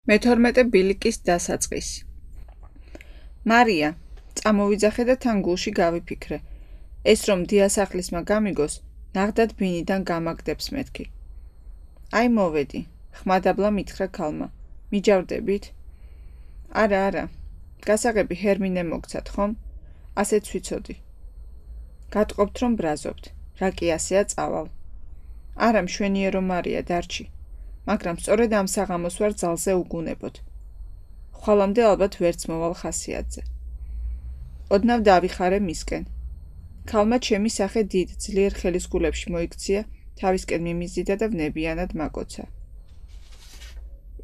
მე-12 ბილიკის დასაწყისი. მარია, წამოვიძახე და თან გულში გავიფიქრე. ეს რომ დიასახლისმა გამიგოს, ნახდად ბინიდან გამაგდებს მეთქი. აი მოვედი, ხმადაბლა მითხრა ქალმა. მიჯავდებით? არა, გასაღები ჰერმინე მოგცათ, ხომ? ასეც ვიცოდი. გატყობთ რომ ბრაზობთ, რა კი ასეა წავალ. არა მშვენიერო მარია დარჩი. მაგრამ სწორედ ამ საღამოს ვარ ძალზე უგუნებოდ. ხვალამდე ალბათ ვერც მოვალ ხასიათზე. ოდნავ დავიხარე მისკენ. ქალმა ჩემი სახე დიდ ძლიერ ხელისგულებში მოიქცია, თავისკენ მიმიზიდა და ვნებიანად მაკოცა.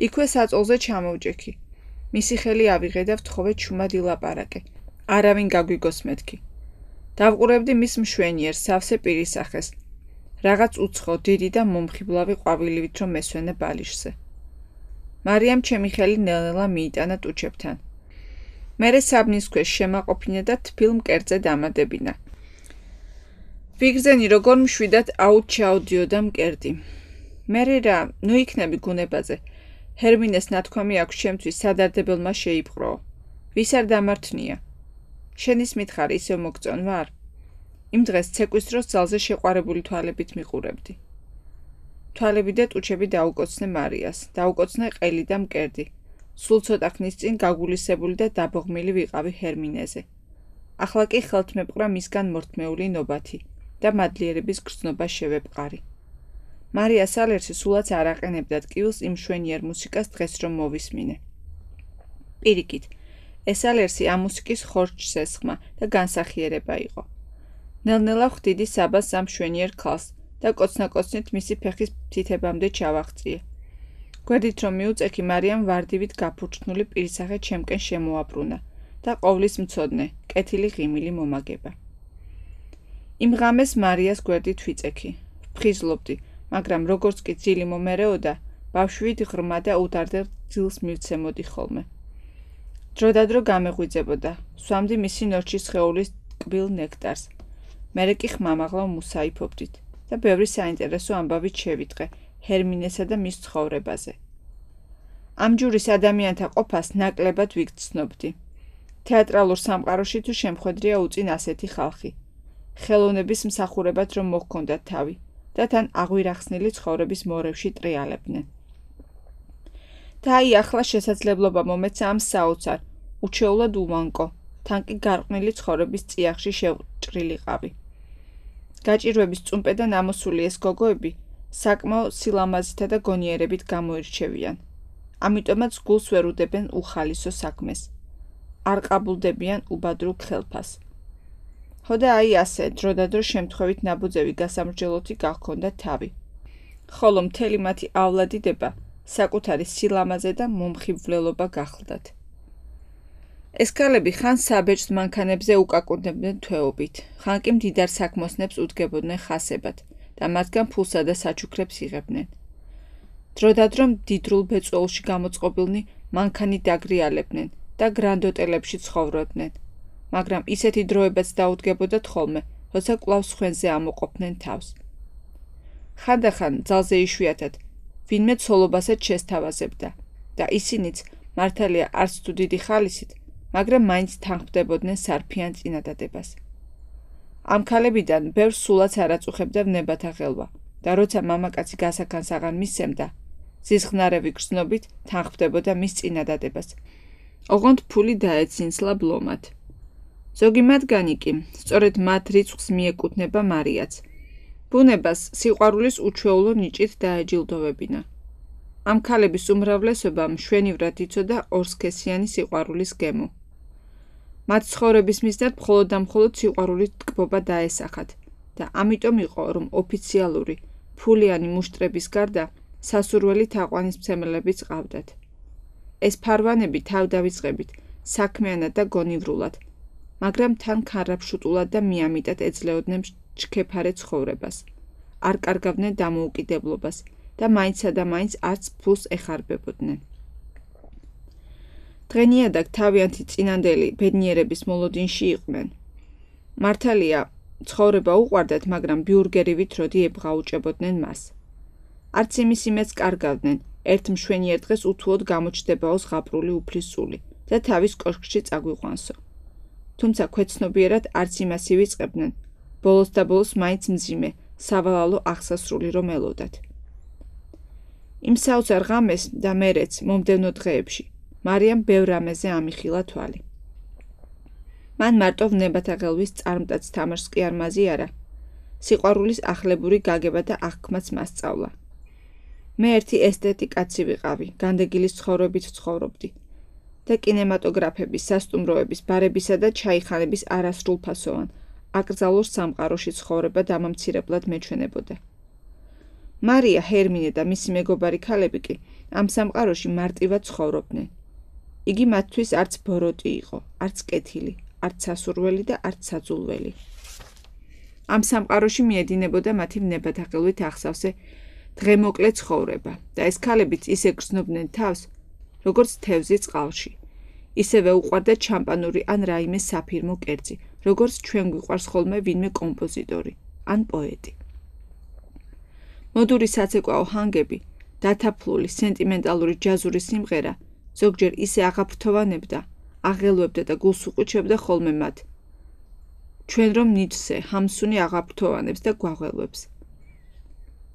იქვე საწოლზე ჩამოვჭექი. მისი ხელი ავიღე და ვთხოვე ჩუმად ილაპარაკე. არავინ გაგვიგოს მეთქი. დავყურებდი მის მშვენიერ სავსე პირისახეს. რაღაც უცხო, დიდი და მომხიბლავი ყვავილივით რომ მესვენე ბალიშზე. მარიამ ჩემი ხელი ნელ-ნელა მიიტანა ტუჩებთან. მერე საბნის ქვეშ შემაყოფინა და თბილ მკერდზე დამადებინა. ვიგრძენი როგორ მშვიდად აუთ ჩაოდიოდა მკერდი. მერე რა, ნუ იქნები გუნებაზე. ჰერმინეს ნათქვამი აქვს ჩემთვის სადარდებელმა შეიპყროო. ვის არ დამართნია? შენის მითხარი ისევ მოგწონ ვარ? იმ დღეს ცეკვის დროს ძალზე შეყვარებული თვალებით მიყურებდი. თვალები და ტუჩები დაუკოცნე მარიას, დაუკოცნე ყელი და მკერდი. სულ ცოტა ხნის წინ გაგულისებული და დაბოღმილი ვიყავი ჰერმინეზე. ახლა კი ხელთ მეპყრა მისგან მორთმეული ნობათი და მადლიერების გრძნობა შევეპყარი. მარია სალერსი სულაც არ აყენებდა ტკივილს იმ მშვენიერ მუსიკას დღეს რომ მოვისმინე. პირიქით, ეს სალერსი ამ მუსიკის ხორჩსესხმა და განსახიერება იყო. ნელ-ნელა ხვდიდი საბას ამ მშვენიერ ქალს და კოცნა-კოცნით მისი ფეხის თითებამდე ჩავაღწიე. გვერდით რომ მიუწექი, მარიამ ვარდივით გაფურჩნული პირისახე ჩემკენ შემოაბრუნა და ყოვლის მცოდნე, კეთილი ღიმილი მომაგება. იმ ღამეს მარიას გვერდით ვიწექი. ვფხიზლობდი, მაგრამ როგორც კი ძილი მომერეოდა, ბავშვით ღრმა და უდარდელ ძილს მივცემოდი ხოლმე. დროდადრო გამეღვიძებოდა, სვამდი მისი ნორჩის სხეულის ტკბილ ნექტარს. მერე კი ხმამაღლა მუსაიფობდით და ბევრი საინტერესო ამბავით შევიტყე ჰერმინესა და მის ცხოვრებაზე. ამ ჯურის ადამიანთა ყოფას ნაკლებად ვიგრძნობდი. თეატრალურ სამყაროში თუ შემხედრია უწინ ასეთი ხალხი. ხელოვნების მსახურებად რომ მოჰქონდათ თავი და თან აღვირახსნილი ცხოვრების მორევში ტრიალებდნენ. და აი ახლა შესაძლებლობა მომეცა ამ საოცარ, უჩვეულად ულანკო, თან კი გარყვნილი ცხოვრების წიაღში შევჭრილიყავი. გაჭირვების წუმპედან ამოსული ეს გოგოები საკმაო სილამაზითა და გონიერებით გამოირჩევიან. ამიტომაც გულს ვერ უდებენ უხალისო საქმეს. არ ყაბულდებიან უბადრულ ხელფას. ხოდა აი ასე, დროდადრო შემთხვევით ნაბუძევი გასამრჯელოთი გახქონდა თავი. ხოლო მთელი მათიავლადიდება საკუთარი სილამაზე და მომხიბვლელობა გახლდათ. ეს ქალები ხან საბეჭდ მანქანებზე უკაკუნდებდნენ თვეობით, ხან კი მდიდარ საქმოსნებს უდგებოდნენ ხასებად და მათგან ფულსა და საჩუქრებს იღებდნენ. დროდადრო მდიდრულ ბეწვეულში გამოწყობილნი მანქანით დაგრიალებდნენ და გრანდ-ოტელებში ცხოვრობდნენ, მაგრამ ისეთი დროებაც დაუდგებოდათ ხოლმე, როცა კვლავ სხვენზე ამოყოფდნენ თავს. ხანდახან ძალზე იშვიათად ვინმე ცოლობასაც შესთავაზებდა და ისინიც მართალია არც თუ დიდი ხალისით, მაგრამ მაინც თანხმდებოდნენ სარფიან წინადადებას. ამ ქალებიდან ბევრს სულაც არ აწუხებდა ვნებათა ხელვა და როცა მამაკაცი გასაქანს აღარ მისცემდა, ზიზღნარევი გრძნობით თანხმდებოდა მის წინადადებას. ოღონდ ფული დაეცინსლა ბლომად. ზოგი მათგანი კი, სწორედ მათ რიცხვს მიეკუთვნება მარიაც. ბუნებას სიყვარულის უჩვეულო ნიჭით დაეჯილდოვებინა. ამ ქალების უმრავლესობა მშვენივრად იცოდა ორსქესიანი სიყვარულის გემო. მათ ცხოვრების მიზნად მხოლოდ და მხოლოდ სიყვარულით ტკბობა დაესახათ და ამიტომ იყო, რომ ოფიციალური, ფულიანი მუშტრების გარდა სასურველი თაყვანისმცემელებიც ყავდათ. ეს ფარვანები თავდავიწყებით, საქმიანად და გონივრულად, მაგრამ თან ქარაფშუტულად და მიამიტად ეძლეოდნენ ჩქეფარე ცხოვრებას. არ კარგავდნენ დამოუკიდებლობას და მაინცსა და მაინც არც ფულს ეხარბებოდნენ. დღენიადაგ თავიანთი წინანდელი ბედნიერების მოლოდინში იყვნენ. მართალია, ცხოვრება უყვარდათ, მაგრამ ბიურგერივით როდი ებღაუჭებოდნენ მას. არც იმის იმედს კარგავდნენ, ერთ მშვენიერ დღეს უთუოდ გამოჩნდებაო ზღაპრული უფლის სული და თავის კოშკში წაგვიყვანსო. თუმცა ქვეცნობიერად არც იმას ივიწყებდნენ, ბოლოს და ბოლოს მაინც მძიმე, სავალალო აღსასრული რომ ელოდათ. იმ საოცარ ღამეს და მერეც მომდევნო დღეებში მარიამ ბევრ რამეზე ამიხილა თვალი. მან მარტო ვნებათა ღელვის წარმტაც თამაშს კი არ მაზიარა, სიყვარულის ახლებური გაგება და აღქმაც მასწავლა. მე ერთი ესტეტი კაცი ვიყავი, განდეგილის ცხოვრებით ცხოვრობდი და კინემატოგრაფების, სასტუმროების, ბარებისა და ჩაიხანების არასრულფასოვან, აკრძალულ სამყაროში ცხოვრება დამამცირებლად მეჩვენებოდა. მარია, ჰერმინე და მისი მეგობარი ქალები კი ამ სამყაროში მარტივად ცხოვრობდნენ. იგი მათთვის არც ბოროტი იყო, არც კეთილი, არც სასურველი და არც საძულველი. ამ სამყაროში მიედინებოდა მათი ვნებათაღელვით ახსავსე დღემოკლე ცხოვრება და ეს ქალებიც ისე გრძნობდნენ თავს, როგორც თევზი წყალში. ისევე უყვარდათ შამპანური ან რაიმე საფირმო კერძი, როგორც ჩვენ გვიყვარს ხოლმე ვინმე კომპოზიტორი ან პოეტი. მოდური საცეკვაო ჰანგები, დათაფლული, სენტიმენტალური ჯაზური სიმღერა ზოგჯერ ისე აღაფრთოვანებდა, აღელვებდა და გულს უყუჩებდა ხოლმე მათ. ჩვენ რომ ნიჩზე ჰამსუნი აღაფრთოვანებს და გვაღელვებს.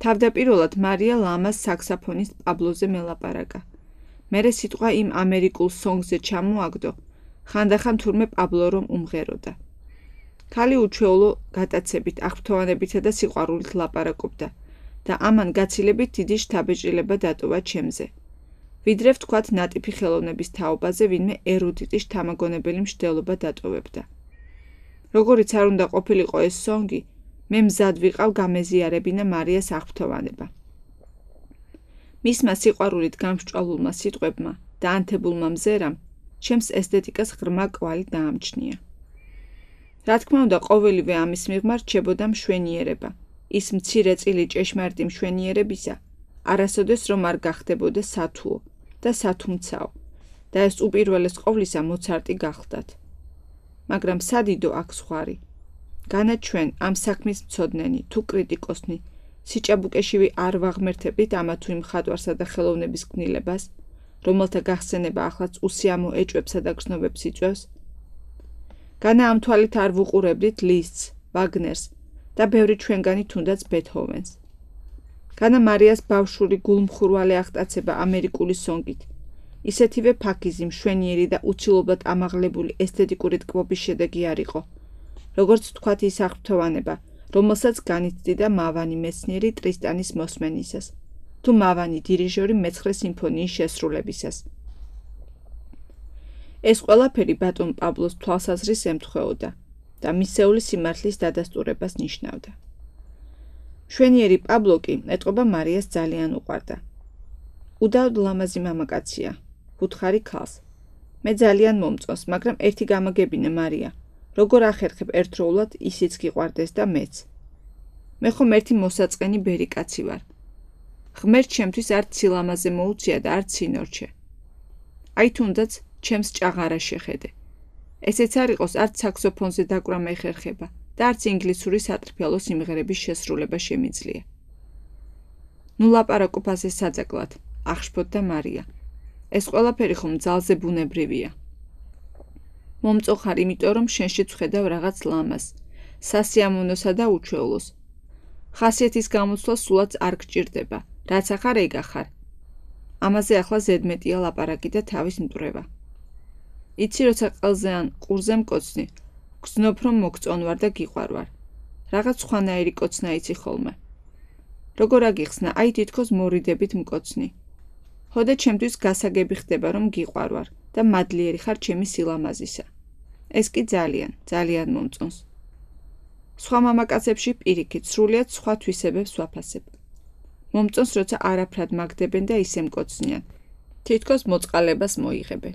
თავდაპირველად მარია ლამას საქსაფონის პაბლოზე მელაპარაკა. მერე სიტყვა იმ ამერიკულ სონგზე ჩამოაგდო, ხანდახან თურმე პაბლო რომ უმღეროდა. ქალი უჩვეულო გატაცებით, აღფრთოვანებითა და სიყვარულით ლაპარაკობდა და ამან გაცილებით დიდი შთაბეჭდილება დატოვა ჩემზე. ვიდრე ვთქვათ ნატიფი ხელოვნების თაობაზე ვინმე ერუდიტი შთამაგონებელი მშდელობა დატოვებდა. როგორიც არ უნდა ყოფილიყო ეს სონგი, მე მზად ვიყავ გამეზიარებინა მარიას აღფრთოვანება. მისმა სიყვარულით გამსჭვალულმა სიტყვებმა და ანთებულმა მზერამ ჩემს ესთეტიკას ღრმა კვალი დაამჩნია. რა თქმა უნდა, ყოველივე ამის მიღმა რჩებოდა მშვენიერება, ის მცირე წილი ჭეშმარიტი მშვენიერებისა, არასოდეს რომ არ გახდებოდა სათუო და სათუმცაო და ეს უპირველეს ყოვლისა მოცარტი გახლდათ. მაგრამ სადიდო აქ ზღვარი. განა ჩვენ ამ საქმის მცოდნენი თუ კრიტიკოსნი სიჭაბუკეშივი არ ვაღმერთებით ამა თუ იმ მხატვარსა და ხელოვნების გნილებას, რომელთა გახსენება ახლაც უსიამო ეჭვებსა და გრძნობებს იწვევს. განა ამ თვალით არ ვუყურებდით ლისტს, ვაგნერს და ბევრი ჩვენგანი თუნდაც ბეთჰოვენს. განა მარიას ბავშვური გულმხურვალე აღტაცება ამერიკული სონგით, ისეთივე ფაქიზი, მშვენიერი და უცილობლად ამაღლებული ესთეტიკური ტკბობის შედეგი არ იყო, როგორც თქვათ ის აღფრთოვანება, რომელსაც განიცდიდა მავანი მეცნიერი ტრისტანის მოსმენისას, თუ მავანი დირიჟორი მე-9 სიმფონიის შესრულებისას. ეს ყველაფერი ბატონ პაბლოს თვალსაზრისს ემთხვეოდა და მისეული სიმართლის დადასტურებას ნიშნავდა. მშვენიერი პაბლო კი ეტყობა მარიას ძალიან უყვარდა. უდავოდ ლამაზი მამაკაცია, უთხარი ქალს. მე ძალიან მომწონს, მაგრამ ერთი გამაგებინე მარია, როგორ ახერხებ ერთდროულად ისიც გიყვარდეს და მეც. მე ხომ ერთი მოსაწყენი ბერი კაცი ვარ. ღმერთ ჩემთვის არც სილამაზე მოუწია და არც სინორჩე. აი თუნდაც ჩემს ჭაღარა შეხედე. ესეც არ იყოს არც საქსოფონზე დაკვრა მეხერხება და არც ინგლისური სატრფიალო სიმღერების შესრულება შემიძლია. ნუ ლაპარაკობ ასე საძაკლად, აღშფოთდა მარია. ეს ყველაფერი ხომ ძალზე ბუნებრივია. მომწოხარ, იმიტომ რომ შენში ვხედავ რაღაც ლამას, სასიამოვნოსა და უჩვეულოს. ხასიათის გამოცვლა სულაც არ გჭირდება, რაც ახარ ეგ ახარ. ამაზე ახლა ზედმეტია ლაპარაკი და თავის მტვრევა. იცი, როცა ყელზე ან ყურზე მკოცნი, გრძნობ რომ მოგწონვარ და გიყვარვარ. რაღაც სხვანაირი კოცნა იცი ხოლმე. როგორ აგიხსნა, აი თითქოს მორიდებით მკოცნი. ხოდა ჩემთვის გასაგები ხდება რომ გიყვარვარ და მადლიერი ხარ ჩემი სილამაზისა. ეს კი ძალიან, ძალიან მომწონს. სხვა მამაკაცებში პირიქით, სრულიად სხვა თვისებებს ვაფასებ. მომწონს, როცა არაფრად მაგდებენ და ისე მკოცნიან. თითქოს მოწყალებას მოიღებენ.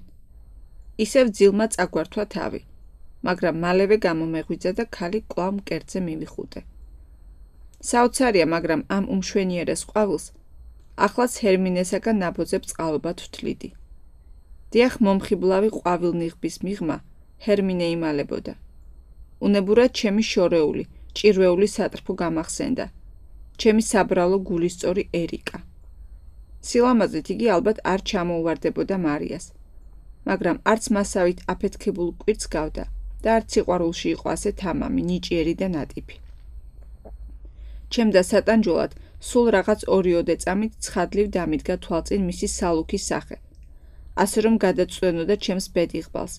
ისევ ძილმა წაგვართვა თავი, მაგრამ მალევე გამომეღვიძა და ქალი კვლავ მკერდზე მივიხუტე. საოცარია, მაგრამ ამ უმშვენიერეს ყვავილს ახლაც ჰერმინესაგან ნაბოძებს წყალობად ვთვლიდი. დიახ, მომხიბლავი ყვავილნიღბის მიღმა ჰერმინე იმალებოდა. უნებურად ჩემი შორეული, ჭირვეული სატრფო გამახსენდა. ჩემი საბრალო გულისწორი ერიკა. სილამაზით იგი ალბათ არ ჩამოუვარდებოდა მარიას, მაგრამ არც მასავით აფეთქებულ კვირს გავდა და არც სიყვარულში იყო ასე თამამი, ნიჭიერი და ნატიფი. ჩემდა სატანჯველად სულ რაღაც 2-3 წამით ცხადლივ დამიდგა თვალწინ მისი სალუქის სახე, ასე რომ გადაწვენოდა ჩემს ბედიღბალს.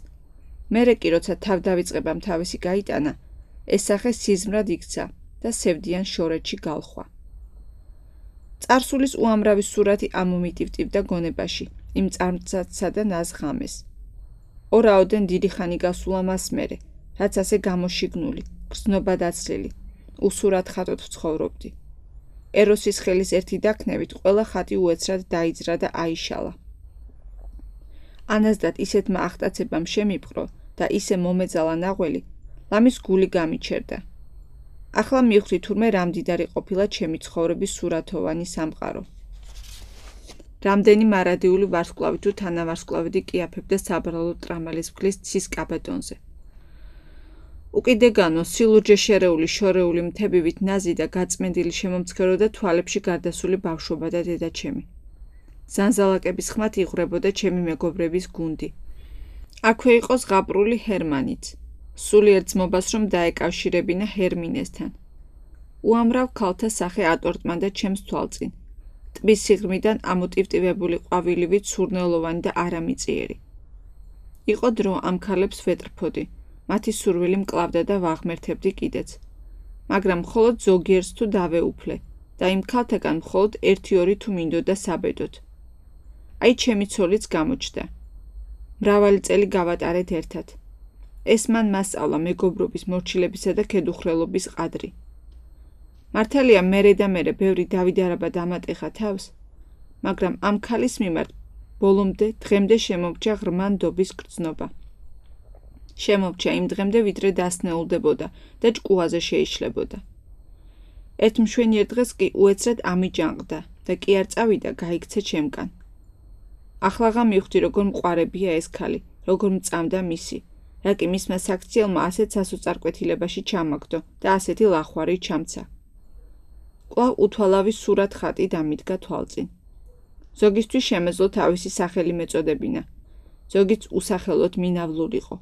მერე კი როცა თავ დავიწყებამ თავისი გაიტანა, ეს სახე სიზმრად იქცა და სევდიან შორეთში გალხვა. წარსულის უამრავი სურათი ამომიტივტივდა გონებაში, იმ წარმცაცსა და ნაზღამეს. ორაოდენ დიდი ხანი გასულა მას მერე, რაც ასე გამოშიგნული, გრძნობა დაცლილი, უსურად ხატოთ ცხოვრობდი. ეროსის ხელის ერთი დაქნევით ყველა ხატი უეცრად დაიძრა და აიშალა. ანაზდად ისეთმა ახტაცებამ შემიპყრო და ისე მომეძალა ნაღველი, ლამის გული გამიჩერდა. ახლა მივხვდი თურმე რამდიდარი ყოფილა ჩემი ცხოვრების სურათოვანი სამყარო. რამდენი მარადიული ვარსკვლავი თუ თანავარსკვლავედი კიაფებდა საბრალო ტრამალის მგლის ცის კაბადონზე. უკიდეგანო სილურჯე შერეული შორეული მთებივით ნაზი და გაწმენდილი შემომცქეროდა თვალებში გარდასული ბავშვობა და დედაჩემი. ზანზალაკების ხმათ იღვრებოდა ჩემი მეგობრების გუნდი. აქვე იყო ზღაპრული ჰერმანიც, სულიერ ძმობას რომ დაეკავშირებინა ჰერმინესთან. უამრავ ქალთა სახე ატორტმანდა ჩემს თვალწინ. ტბის სიღრმიდან ამოტივტივებული ყვავილივით სურნელოვანი და არამიწიერი. იყო დრო ამ ქალებს ვეტრფოდი, მათი სურვილი მკლავდა და ვაღმერთებდი კიდეც. მაგრამ მხოლოდ ზოგიერს თუ დავეუფლე და იმ ქალთაგან მხოლოდ 1-2 თუ მინდოდა საბედოთ. აი ჩემი ცოლიც გამოჩნდა. მრავალი წელი გავატარეთ ერთად. ეს მან მასწავლა მეგობრობის, მორჩილებისა და ქედუხრელობის ყადრი. მართალია მერე და მერე ბევრი დავიდარება დამატეხა თავს, მაგრამ ამ ქალის მიმართ ბოლომდე დღემდე შემომჭა ღრმა ნდობის გრძნობა. შემომჭა იმ დღემდე ვიდრე დასნეულდებოდა და ჭკუაზე შეიშლებოდა. ერთ მშვენიერ დღეს კი უეცრად ამიჯანყდა და კი არ წავიდა გაიქცე ჩემგან. ახლაღა მივხვდი როგორ მყარებია ეს ქალი, როგორ მწამდა მისი, რა კი მისმა საქციელმა ასეთ სასოწარკვეთილებაში ჩამაგდო და ასეთი ლახვარი ჩამცა. კვლავ უთვალავი სურათ ხატი დამიდგა თვალწინ. ზოგისთვის შემეძლო თავისი სახელი მეწოდებინა, ზოგიც usახელოდ მინავლულიყო.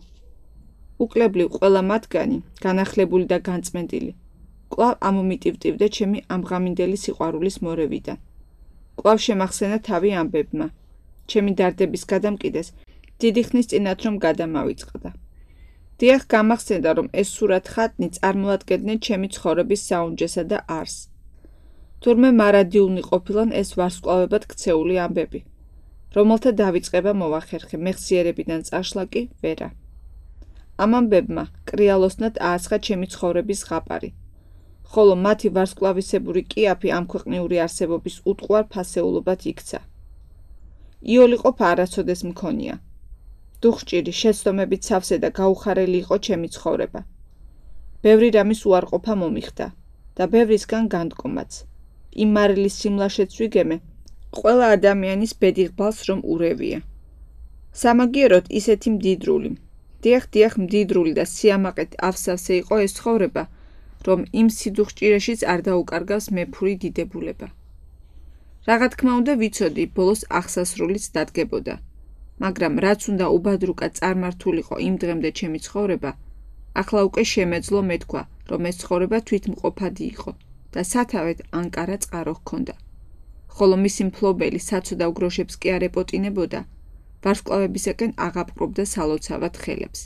უკლებლივ ყველა მათგანი, განახლებული და განწმენდილი, კვლავ ამომიტივტივდა ჩემი ამღამინდელი სიყვარულის მორევიდან. კვლავ შემახსენა თავი ამბებმა, ჩემი დარდების გადამკიდეს დიდი ხნის წინათ რომ გადამავიწყდა. დიახ, გამახსენდა რომ ეს სურათ ხატნი წარმოადგენდნენ ჩემი ცხოვრების საუნჯესა და არსს. თურმე მარადიულნი ყოფილან ეს ვარსკვლავებად ქცეული ამბები, რომელთა დავიწყება მოვახერხე, მეხსიერებიდან წაშლა კი ვერა. ამ ამბებმა კრიალოსნად ააცხა ჩემი ცხოვრების ზღაპარი, ხოლო მათი ვარსკვლავისებური კიაფი ამ ქვეყნიური არსებობის უტყუარ ფასეულობად იქცა. იოლიყოფა არასოდეს მქონია. დუხჭირი, შეცდომებით სავსე და გაუხარელი იყო ჩემი ცხოვრება. ბევრი რამის უარყოფა მომიხდა და ბევრისგან განდგომაც. იმ მარილის სიმლაშეც ვიგემე, ყველა ადამიანის ბედიღბალს რომ ურევია. სამაგიეროდ ისეთი მდიდრული, დიახ მდიდრული და სიამაყედ ავსავსე იყო ეს ცხოვრება, რომ იმ სიდუხჭირაშიც არ დაუკარგავს მეფური დიდებულება. რაღა თქმა უნდა ვიცოდი, ბოლოს აღსასრულიც დადგებოდა, მაგრამ რაც უნდა უბადრუკა წარმართულიყო იმ დღემდე ჩემი ცხოვრება, ახლა უკვე შემეძლო მეთქვა, რომ ეს ცხოვრება თვითმყოფადი იყო და სათავედ ანკარა წყარო ჰქონდა. ხოლო მისი მფლობელი საცოდავ გროშებს კი არ ეპოტინებოდა, ვარსკვლავებისაკენ აღაპყრობდა სალოცავად ხელებს.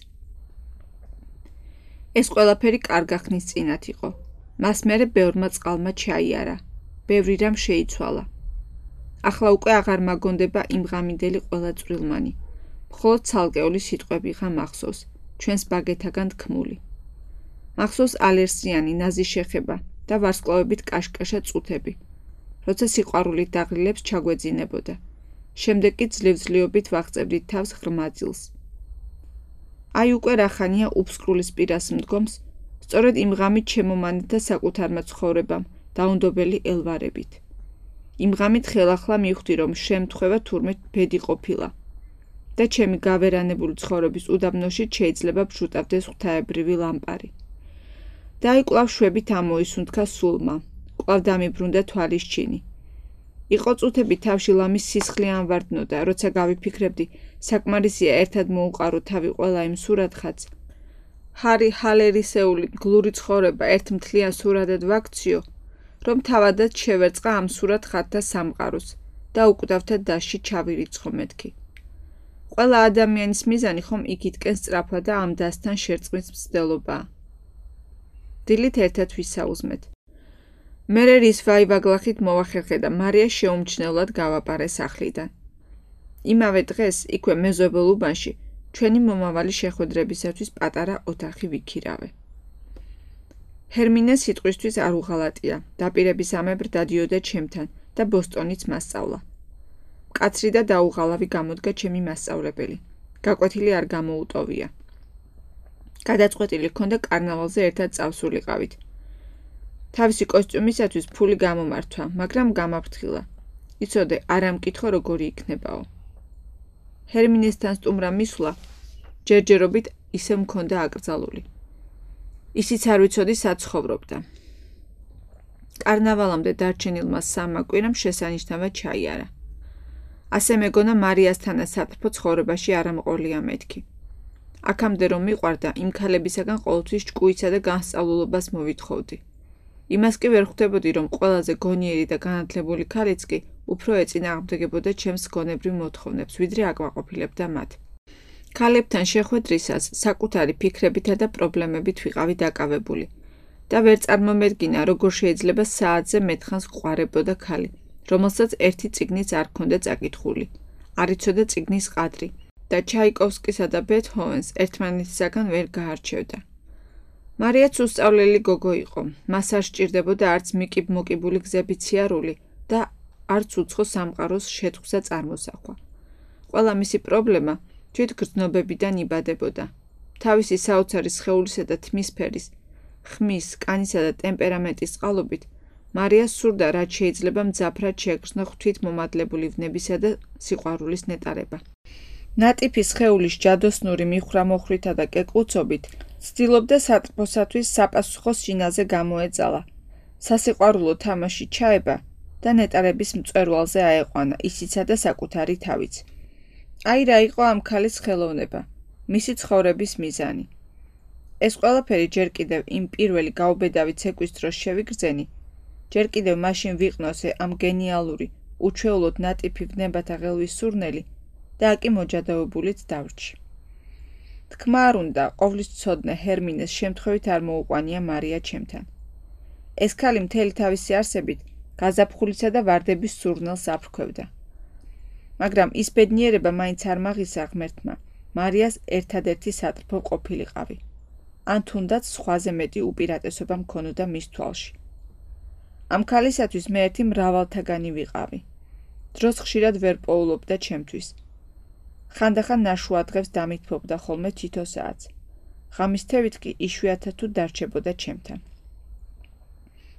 ეს ყველაფერი კარგა ხნის წინათ იყო. მას მერე ბევრმა წყალმა ჩაიარა, ბევრი რამ შეიცვალა. ახლა უკვე აღარ მაგონდება იმ ღამიდელი ყველა წვრილმანი. მხოლოდ ცალკეული სიტყვები ღა მახსოვს, ჩვენს ბაგეთაგან თქმული. მახსოვს ალერსიანი ნაზი შეხება და ვარსკვლავებით კაშკაშა წუთები, როცა სიყვარულით დაღლილებს ჩაგვეძინებოდა. შემდეგ კი ძლივ-ძლივობით ვაღწევდით თავს ღრმა ძილს. აი უკვე რა ხანია უფსკრულის პირას მდგომს, სწორედ იმ ღამით შემომანეთა საკუთარმა ცხოვრებამ დაუნდობელი ელვარებით. იმ ღამით ხელახლა მივხვდი, რომ შემთხვევა თურმე ბედი ყოფილა და ჩემი გავერანებული ცხოვრების უდაბნოში შეიძლება ბჟუტავდეს ღვთაებრივი ლამპარი. და აი კვლავ შვებით ამოისუნთქა სულმა, კვლავ დამიბრუნდა თვალის ჩინი. იყო წუთები თავში ლამის სისხლი ანვარდნოდა, როცა გავიფიქრებდი, საკმარისია ერთად მოუყარო თავი ყველა იმ სურათხაც. ჰარი ჰალერისეული გლური ცხოვრება ერთ მთლიან სურათად ვაქციო, რომ თავადაც შევერწყა ამ სურათხატთა სამყაროს და უკვდავთა დასში ჩავირიცხო მეთქი. ყველა ადამიანის მიზანი ხომ იქითკენ სწრაფვა და ამ დასთან შერწყმის მცდელობაა. დილით ერთად ვისაუზმეთ. მერე რის ვაივაგლახით მოვახერხე და მარია შეუმჩნევლად გავაპარე სახლიდან. იმავე დღეს იქვე მეზობელ უბანში ჩვენი მომავალი შეხვედრებისათვის პატარა ოთახი ვიქირავე. ჰერმინე სიტყვისთვის არ უღალატია, დაპირებისამებრ დადიოდა ჩემთან და ბოსტონიც მასწავლა. მკაცრი და დაუღალავი გამოდგა ჩემი მასწავლებელი. გაკვეთილი არ გამოუტოვია. გადაწყვეტილი ჰქონდა კარნავალზე ერთად წავსულიყავით. თავისი კოსტიუმისათვის ფული გამომართვა, მაგრამ გამაფრთხილა. იცოდე, არ ამკითხო როგორი იქნებაო. ჰერმინესთან სტუმრა მისვლა ჯერჯერობით ისე მქონდა აკრძალული. ისიც არ ვიცოდი სად ცხოვრობდა. კარნავალამდე დარჩენილმა სამმა კვირამ შესანიშნავად ჩაიარა. ასე მეგონა მარიასთანა სათრფო ცხოვრებაში არ ამყოლია მეთქი. აქამდე რომ მიყვარდა, იმ ქალებისაგან ყოველთვის ჭკუისა და განსწავლულობას მოვითხოვდი. იმას კი ვერ ხვდებოდი, რომ ყველაზე გონიერი და განათლებული ქალიც კი უფრო ეწინააღმდეგებოდა ჩემს გონებრივ მოთხოვნებს, ვიდრე აკმაყოფილებდა მათ. ქალებთან შეხვედრისას საკუთარი ფიქრებითა და პრობლემებით ვიყავი დაკავებული და ვერ წარმომედგინა, როგორ შეიძლება საათზე მეტხანს გვყარებოდა ქალი, რომელსაც ერთი წიგნიც არ ჰქონდა წაკითხული, არ იცოდა წიგნის ყადრი და ჩაიკოვსკისა და ბეთჰოვენს ერთმანეთისაგან ვერ გაარჩევდა. მარიაც უსწავლელი გოგო იყო, მას არ სჭირდებოდა არც მიკიბ-მოკიბული გზებით სიარული და არც უცხო სამყაროს შეთხვსა წარმოსახვა. ყველა მისი პრობლემა თვითგრძნობებიდან იბადებოდა. თავისი საოცარი სხეულისა და თმის ფერის, ხმის, კანისა და ტემპერამენტის წყალობით მარიას სურდა, რაც შეიძლება მძაფრად შეეგრძნო ღვთითმომადლებული ვნებისა და სიყვარულის ნეტარება. ნატიფი სხეულის ჯადოსნური მიხრა-მოხვრითა და კეკლუცობით ცდილობდა სატრფოსათვის საპასუხო სინაზე გამოეძალა, სასიყვარულო თამაში ჩაება და ნეტარების მწვერვალზე აეყვანა ისიცა და საკუთარი თავიც. აი რა იყო ამ ქალის ხელოვნება, მისი ცხოვრების მიზანი. ეს ყველაფერი ჯერ კიდევ იმ პირველი გაუბედავი ცეკვის დროს შევიგრძენი, ჯერ კიდევ მაშინ ვიყნოსე ამ გენიალური, უჩვეულოდ ნატიფი ვნებათა ღელვის სურნელი და აკი მოჯადოებულიც დავრჩი. თქმა არ უნდა, ყოვლის ცოდნე ჰერმინეს შემთხვევით არ მოუყვანია მარია ჩემთან. ეს ქალი მთელი თავისი არსებით გაზაფხულისა და ვარდების სურნელს აფრქვევდა. მაგრამ ის ბედნიერება მაინც არ მაღისა ღმერთმა, მარიას ერთადერთი სატრფო ყოფილიყავი. ან თუნდაც სხვაზე მეტი უპირატესობა მქონოდა მის თვალში. ამ ქალისათვის მე ერთი მრავალთაგანი ვიყავი. დროს ხშირად ვერ პოულობდა ჩემთვის. ხანდახან ნაშუა დღეს დამითბობდა ხოლმე თითო საათს. ღამის თევით კი იშვიათად თუ დარჩებოდა ჩემთან.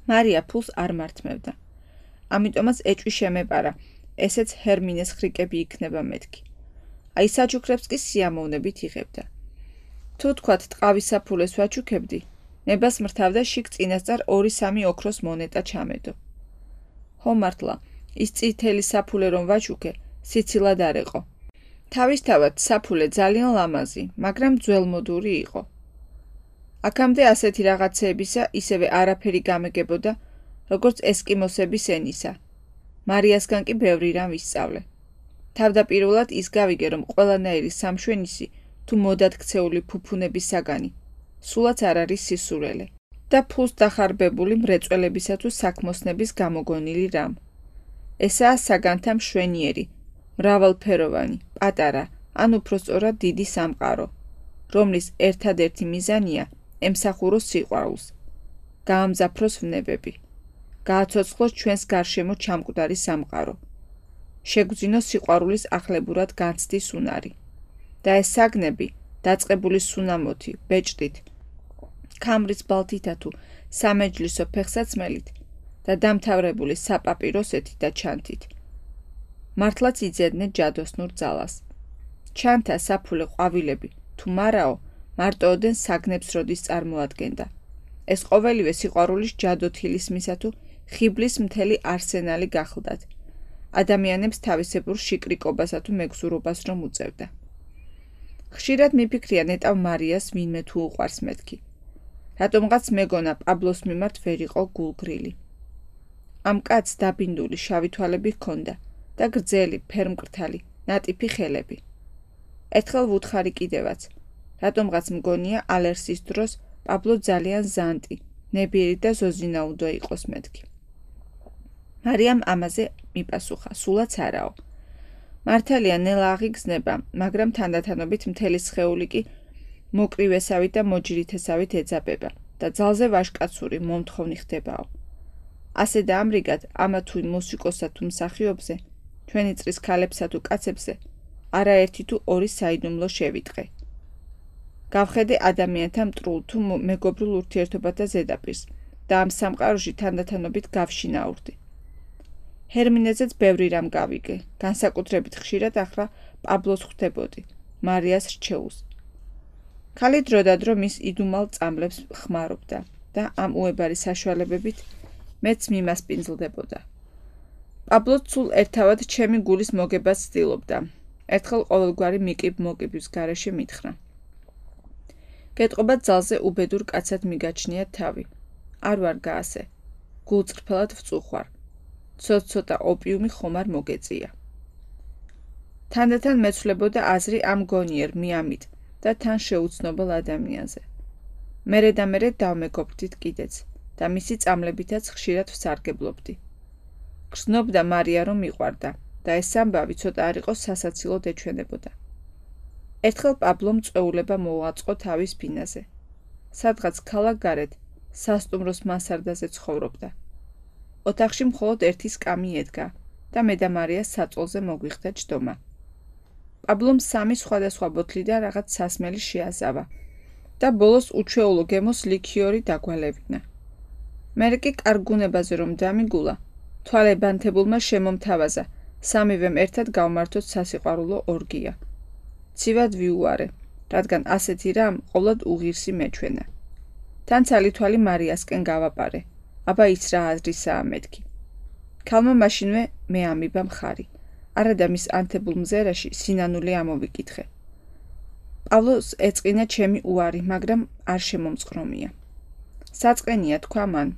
მარია ფულს არ მართმევდა. ამიტომაც ეჭვი შემეპარა, ესეც ჰერმინეს ხრიკები იქნება მეთქი. აი საჩუქრებს კი სიამოვნებით იღებდა. თუ თქვათ ტყავის საფულეს ვაჩუქებდი, ნებას მრთავდა შიგ წინასწარ 2-3 ოქროს მონეტა ჩამედო. ხო მართლა, ის წითელი საფულე რომ ვაჩუქე, სიცილად არ ეყო. თავისთავად საფულე ძალიან ლამაზი, მაგრამ ძველმოდური იყო. აქამდე ასეთი რაღაცეებისა ისევე არაფერი გამეგებოდა, როგორც ესკიმოსების ენისა. მარიასგან კი ბევრი რამ ვისწავლე. თავდაპირველად ის გავიგე, რომ ყველანაირი სამშვენისი თუ მოდადგცეული ფუფუნების საგანი, სულაც არ არის სისურელე და ფულს დახარბებული მრეწველებისა თუ საქმოსნების გამოგონილი რამ. ესაა საგანთა მშვენიერი, მრავალფეროვანი, პატარა, ან უпроსწორად დიდი სამყარო, რომლის ერთადერთი მიზანია ემსახუროს სიყვარულს, გაამძაფროს ვნებები, გააცოცხლოს ჩვენს გარშემო ჩამკვდარი სამყარო, შეგვძინოს სიყვარულის ახლებურად განცდის უნარი. და ეს საგნები, დაწყებული სუნამოთი, ბეჭდით, ქამრის ბალთითა თუ სამეჯლისო ფეხსაცმელით და დამთავრებული საპაპიროსეთით და ჩანთით. მართლაც იძებდნენ ჯადოსნურ ძალას. ჩანთა, საფულე, ყვავილები, თუ მარაო, მარტოოდენ საგნებს როდის წარმოადგენდა. ეს ყოველივე სიყვარულის ჯადოთილისმისა თუ ხიბლის მთელი არსენალი გახლდათ ადამიანებს თავისებურ შიკრიკობასა თუ მეგზურობას რომ უწევდა. ხშირად მიფიქრია ნეტავ მარიას ვინმე თუ უყვარს მეთქი. რატომღაც მეგონა პაბლოს მიმართ ვერ იყო გულგრილი. ამ კაცს დაბინდული შავი თვალები ჰქონდა და გრძელი, ფერმკრთალი, ნატიფი ხელები. ერთხელ ვუთხარი კიდევაც, რატომღაც მგონია ალერსის დროს პაბლო ძალიან ზანტი, ნებიერი და ზოზინაუდო იყოს მეთქი. მარიამ ამაზე მიპასუხა, სულაც არაო. მართალია ნელა აღიგზნება, მაგრამ თანდათანობით მთელი სხეული კი მოკრივესავით და მოჯრითესავით ეძაბება და ძალზე ვაჟკაცური მომთხოვნი ხდებაო. ასე და ამრიგად, ამა თუ მუსიკოსა თუ მსახიობზე, ჩვენი წრის ქალებსა თუ კაცებზე, არაერთი თუ ორი საიდუმლო შევიტყე. გავხედე ადამიანთა მტრულ თუ მეგობრულ ურთიერთობათა ზედაპირს და ამ სამყაროში თანდათანობით გავშინაურდი. ჰერმინეზეც ბევრი რამ გავიგე, განსაკუთრებით ხშირად ახლა პაბლოს ხვდებოდი, მარიას რჩეულს. ქალი დროდადრო მის იდუმალ წამლებს ხმარობდა და ამ უებარი საშუალებებით მეც მიმასპინძლდებოდა. პაბლო ცულ ერთავად ჩემი გულის მოგებას ცდილობდა. ერთხელ ყოველგვარი მოკიბვის გარეშე მითხრა. გეტყობა ძალზე უბედურ კაცად მიგაჩნია თავი. არ ვარ გაასე. გულწრფელად ვწუხვარ. ცოტ-ცოტა ოპიუმი ხომ არ მოგეწია. თანდათან მეცვლებოდა აზრი ამ გონიერ მიამით და თან შეუცნობელ ადამიანზე. მერე და მერე დავმეგობრდით კიდეც და მისი წამლებითაც ხშირად ვსარგებლობდი. გრძნობდა მარია რომ მიყვარდა და ეს ამბავი ცოტა არ იყო სასაცილოდ ეჩვენებოდა. ერთხელ პაბლომ წვეულება მოუაწყო თავის ბინაზე. სადღაც ქალაქ გარეთ, სასტუმროს მასარდაზე ცხოვრობდა. ოთახში მხოლოდ ერთი სკამი ედგა და მე და მარია საწოლზე მოგვიხდა ჯდომა. პაბლომ 3 სხვადასხვა ბოთლიდან რაღაც სასმელი შეაზავა და ბოლოს უჩვეულო გემოს ლიქიორი დაგვალევინა. მერე კი კარგუნებაზე რომ დამიგულა, თვალებანთებულმა შემომთავაზა, სამივემ ერთად გავმართოთ სასიყვარულო ორგია. ცივად ვიუარე, რადგან ასეთი რამ ყოვლად უღირსი მეჩვენა. თან ცალი თვალი მარიასკენ გავაპარე, აბა ის რა აზრისაა მეთქი. ქალმა მაშინვე მე ამიბა მხარი, არადა მის ანთებულ მზერაში სინანული ამოვიკითხე. პავლოს ეწყინა ჩემი უარი, მაგრამ არ შემომწყრომია. საწყენია თქვა მან,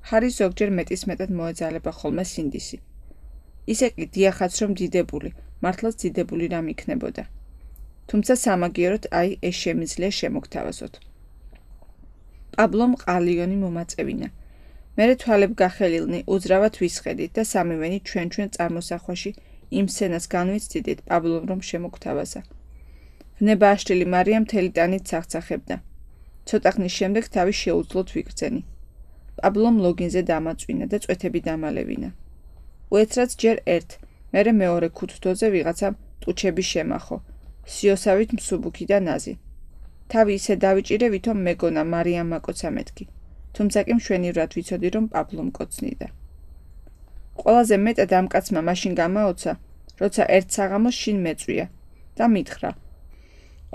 ჰარი ზოგჯერ მეტისმეტად მოეძალება ხოლმე სინდისი. ისე კი დიახაც რომ დიდებული, მართლაც დიდებული რამ იქნებოდა. თუმცა სამაგიეროდ აი ეს შემიძლია შემოგთავაზოთ. პაბლომ ყალიონი მომაწევინა. მერე თვალებ გახელილნი უძრავად ვისხედით და სამივენი ჩვენ წარმოსახვაში იმ სცენას განვიცდიდით პაბლომ რომ შემოგთავაზა. ვნება აშლილი მარია მთელი ტანით ცახცახებდა. ცოტა ხნის შემდეგ თავი შეუძლოდ ვიგრძენი. პაბლომ ლოგინზე დამაწვინა და წვეთები დამალევინა. უეცრად ჯერ ერთ, მერე მეორე ქუთთოზე ვიღაცამ ტუჩები შემახო, სიოსავით მსუბუქი და ნაზი. თავი ისე დავიჭირე, ვითომ მეგონა მარიამ მაკოცა მეთქი, თუმცა კი მშვენივრად ვიცოდი, რომ პაბლომ კოცნიდა. ყველაზე მეტად ამ კაცმა მაშინ გამაოცა, როცა ერთ საღამოს შინ მეწვია და მითხრა: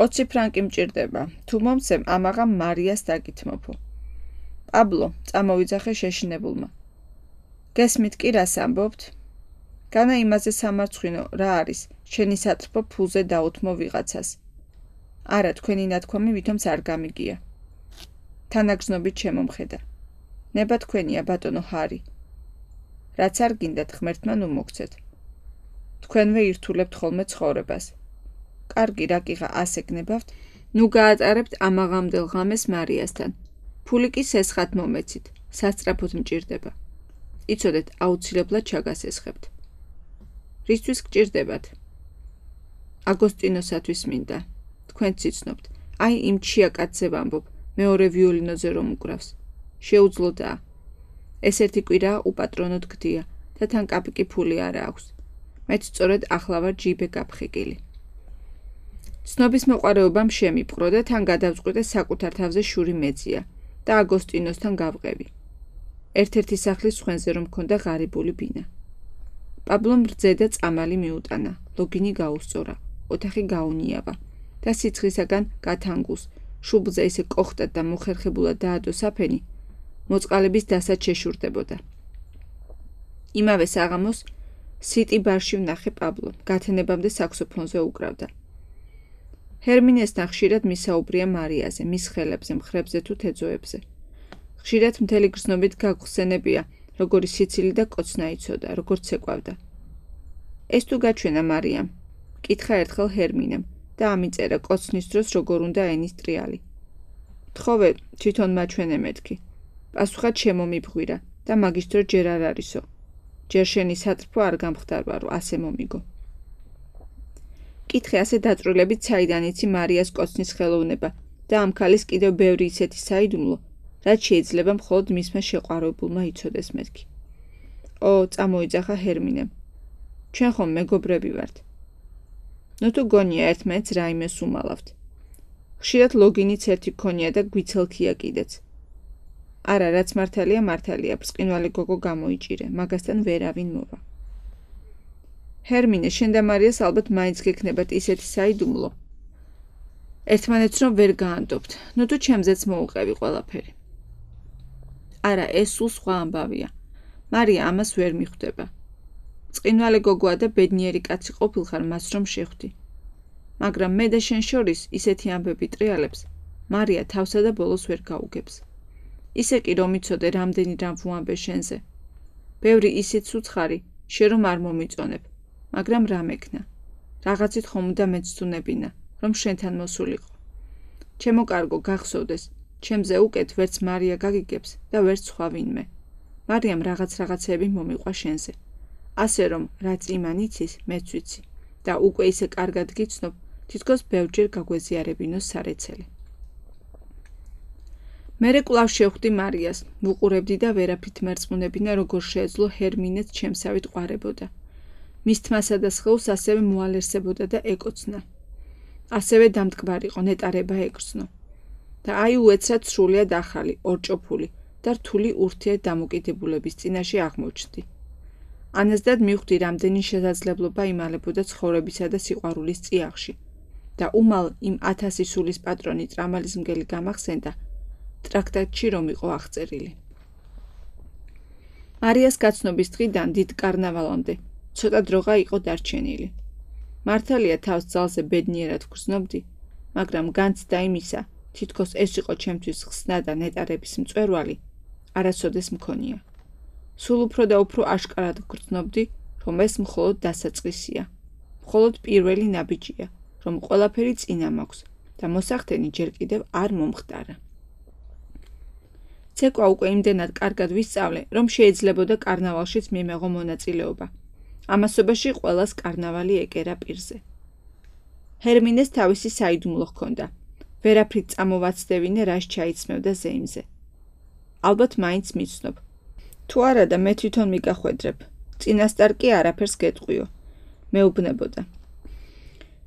20 ფრანკი მჭირდება, თუ მომცემ ამაღამ მარიას დაგითმობო. პაბლო, წამოვიძახე შეშინებულმა. გესმით კი რას ამბობთ? განა იმაზე სამარცხვინო რა არის, შენი სატრფო ფულზე დაუთმო ვიღაცას. არა, თქვენი ნათქვამი ვითომც არ გამიგია. თანაგრძნობით შემომხედა. ნება თქვენია, ბატონო ჰარი. რაც არ გინდათ ღმერთმა ნუ მოგცეთ. თქვენვე ირთულებთ ხოლმე ცხოვრებას. კარგი, რა კიღა ასე გნებავთ, ნუ გაატარებთ ამაღამდელ ღამეს მარიასთან. ფული კი სესხად მომეცით, სასწრაფოდ მჭირდება. იცოდეთ, აუცილებლად ჩაგასესხებთ. რისთვის გჭირდებათ? აგოსტინოსათვის მინდა. თქვენც იცნობთ, აი იმ ჩია კაცზე ვამბობ, მეორე ვიოლინოზე რომ უკრავს. შეუძლოდაა. ეს ერთი კვირაა უპატრონოდ გდია და თან კაპიკი ფული არა აქვს. მეც სწორედ ახლა ვარ ჯიბე გაფხიკილი. ცნობის მოყვარეობამ შემიპყრო და თან გადავწყვიტე საკუთარ თავზე შური მეძია და აგოსტინოსთან გავყევი. ერთ-ერთი სახლის ხვენზე რომ მქონდა ღარიბული ბინა. პაბლომ რძე და წამალი მიუტანა, ლოგინი გაუსწორა, ოთახი გაუნიავა და სიცხისაგან გათანგულს, შუბლზე ისე კოხტად და მოხერხებულად დაადო საფენი, მოწყალების დასად შეშურდებოდა. იმავე საღამოს სიტი ბარში ვნახე პაბლო, გათენებამდე საქსოფონზე უკრავდა. ჰერმინესთან ხშირად მისაუბრია მარიაზე, მის ხელებზე, მხრებზე თუ თეძოებზე. ხშირად მთელი გრძნობით გაგხსენებია, როგორი სიცილი და კოცნა იცოდა, როგორც ეკვავდა. ეს თუ გაჩვენა მარიამ, კითხა ერთხელ ჰერმინემ და ამიწერა კოცნის დროს როგორ უნდა ენის ტრიალი. თხოვე, თვითონ მაჩვენე მეთქი. პასუხად შემომიბღვირა და მაგის დრო ჯერ არ არისო. ჯერ შენი სატრფო არ გამხდარვარო, ასე მომიგო. კითხე ასე დაწვრილებით საიდან იცი მარიას კოცნის ხელოვნება და ამ ქალის კიდევ ბევრი ისეთი საიდუმლო, რაც შეიძლება მხოლოდ მისმა შეყვარებულმა იცოდეს მეთქი. წამოიძახა ჰერმინემ. ჩვენ ხომ მეგობრები ვართ. ნუ თუ გონია ერთმანეთს რაიმეს უმალავთ. ხშირად ლოგინიც ერთი გქონია და გვიცელქია კიდეც. არა, რაც მართალია, ბრწყინვალე გოგო გამოიჭირე, მაგასთან ვერავინ მოვა. ჰერმინე, შენ და მარიას ალბათ მაინც გექნებათ ისეთი საიდუმლო. ერთმანეთს რომ ვერ გაანდობთ, ნუ თუ ჩემზეც მოუყევი ყველაფერი. არა, ეს სულ სხვა ამბავია. მარია ამას ვერ მიხვდება. ბრწყინვალე გოგოა და ბედნიერი კაცი ყოფილხარ მას რომ შეხვდი. მაგრამ მე და შენ შორის ისეთი ამბები ტრიალებს, მარია თავსა და ბოლოს ვერ გაუგებს. ისე კი რომ იცოდე რამდენი რამ ვუამბე შენზე. ბევრი ისიც უცხარი, შენ რომ არ მომიწონებ, მაგრამ რა მექნა. რაღაცით ხომ უნდა მეცდუნებინა, რომ შენთან მოსულიყო. ჩემო კარგო, გახსოვდეს, ჩემზე უკეთ ვერც მარია გაგიგებს და ვერც სხვა ვინმე. მარიამ რაღაცეები მომიყვა შენზე. ასე რომ, რაც იმან იცის, მეც ვიცი და უკვე ისე კარგად გიცნობ, თითქოს ბევრჯერ გაგვეზიარებინოს სარეცელი. მერე კვლავ შევხვდი მარიას, ვუყურებდი და ვერაფრით მერწმუნებინა, როგორ შეეძლო ჰერმინეც ჩემსავით ყვარებოდა. მის თმასა და სხეულს ასევე მოალერსებოდა და ეკოცნა. ასევე დამტკბარიყო, ნეტარება ეკრძნო. და აი უეცრად სრულიად ახალი, ორჭოფული და რთული ურთიერთ დამოკიდებულების წინაშე აღმოჩნდი. ანაზდად მივხვდი, რამდენი შესაძლებლობა იმალებოდა ცხოვრებისა და სიყვარულის წიაღში და უმალ იმ 1000 სულის პატრონი ტრამალის მგელი გამახსენდა, ტრაქტატში რომ იყო აღწერილი. მარიას გაცნობის დღიდან დიდ კარნავალამდე ცოტა დროღა იყო დარჩენილი. მართალია თავს ძალზე ბედნიერად ვგრძნობდი, მაგრამ განცდა იმისა, თითქოს ეს იყო ჩემთვის ხსნა და ნეტარების მწვერვალი, არასოდეს მქონია. სულ უფრო და უფრო აშკარად ვგრძნობდი, რომ ეს მხოლოდ დასაწყისია, მხოლოდ პირველი ნაბიჯია, რომ ყველაფერი წინა მაქვს და მოსახდენი ჯერ კიდევ არ მომხდარა. ცეკვა უკვე იმდენად კარგად ვისწავლე, რომ შეიძლებოდა კარნავალშიც მიმეღო მონაწილეობა. ამასობაში ყველას კარნავალი ეკერა პირზე. ჰერმინეს თავისი საიდუმლო ჰქონდა. ვერაფრით წამოვაცდევინე, რას ჩაიცმევდა ზეიმზე. ალბათ მაინც მიცნობ. თუ არა და მე თვითონ მიგახვედრებ. წინასწარ კი არაფერს გეტყვიო. მეუბნებოდა.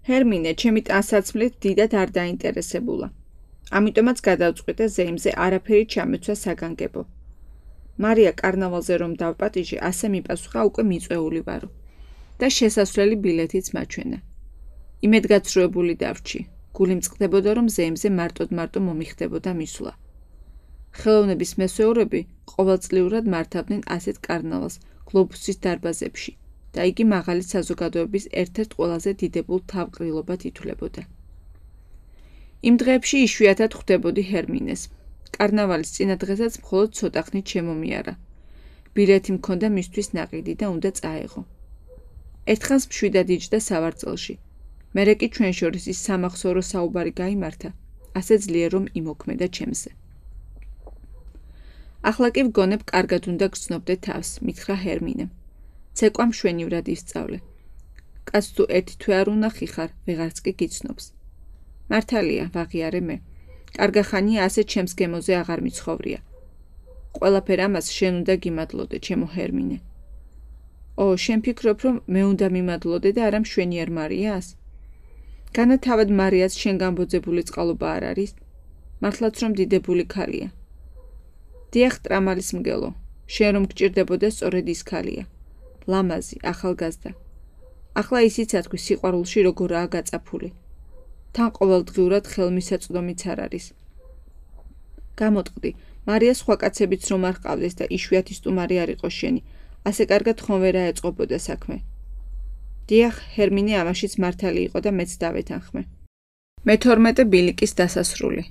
ჰერმინე, ჩემი ტანსაცმლით დიდად არ დაინტერესებულა. ამიტომაც გადავწყვიტე ზეიმზე არაფერი ჩამეცვა საგანგებო. მარია კარნავალზე რომ დავპატიჟე, ასე მიპასუხა უკვე მიწვეული ვარო და შესასვლელი ბილეთიც მაჩვენა. იმედგაცრუებული დავრჩი. გული მწყდებოდა, რომ ზეიმზე მარტო მომიხდებოდა მისვლა. ხელოვნების მესვეურები ყოველწლიურად მართავდნენ ასეთ კარნავალს გლობუსის დარბაზებში და იგი მაღალი საზოგადოების ერთ-ერთ ყველაზე დიდებულ თავყრილობად ითვლებოდა. იმ დღეებში იშვიათად ხვდებოდი ჰერმინეს. კარნავალის წინა დღესაც მხოლოდ ცოტა ხნით შემომიარა. ბილეთი მქონდა მისთვის ნაყიდი და უნდა წაეღო. ერთხანს მშვიდად იჯდა სავარძელში. მერე კი ჩვენ შორის ის სამახსოვრო საუბარი გაიმართა, ასე ძლიერ რომ იმოქმედა ჩემზე. ახლა კი ვგონებ, კარგად უნდა გრძნობდე თავს, მითხრა ჰერმინემ. ცეკვა მშვენივრად ისწავლე. კაც თუ ერთი თვე არ უნახი ხარ, ვეღარც კი გიცნობს. მართალია, ვაღიარე მე. კარგა ხანია ასე ჩემს გემოზე აღარ მიცხოვრია. ყველაფერ ამას შენ უნდა გიმადლოდე, ჩემო ჰერმინე. შენ ფიქრობ, რომ მე უნდა მიმადლოდე და არა მშვენიერ მარიას? განა თავად მარიას შენ გამბოძებული წყალობა არ არის? მართლაც რომ დიდებული ქალია. დიახ, ტრამალის მგელო, შენ რომ გჭირდებოდა სწორედ ის ქალია. ლამაზი, ახალგაზრდა. ახლა ისიც ათქვი სიყვარულში როგორაა გაწაფული. თან ყოველდღიურად ხელმისაწვდომიც არ არის. გამოტყდი, მარია სხვა კაცებიც რომ არ ყავდეს და იშვიათი სტუმარი არ იყო შენი, ასე კარგად ხომ ვერ აეწყობოდა საქმე. დიახ, ჰერმინე ამაშიც მართალი იყო და მეც დავეთანხმე. მე-12 ბილიკის დასასრული.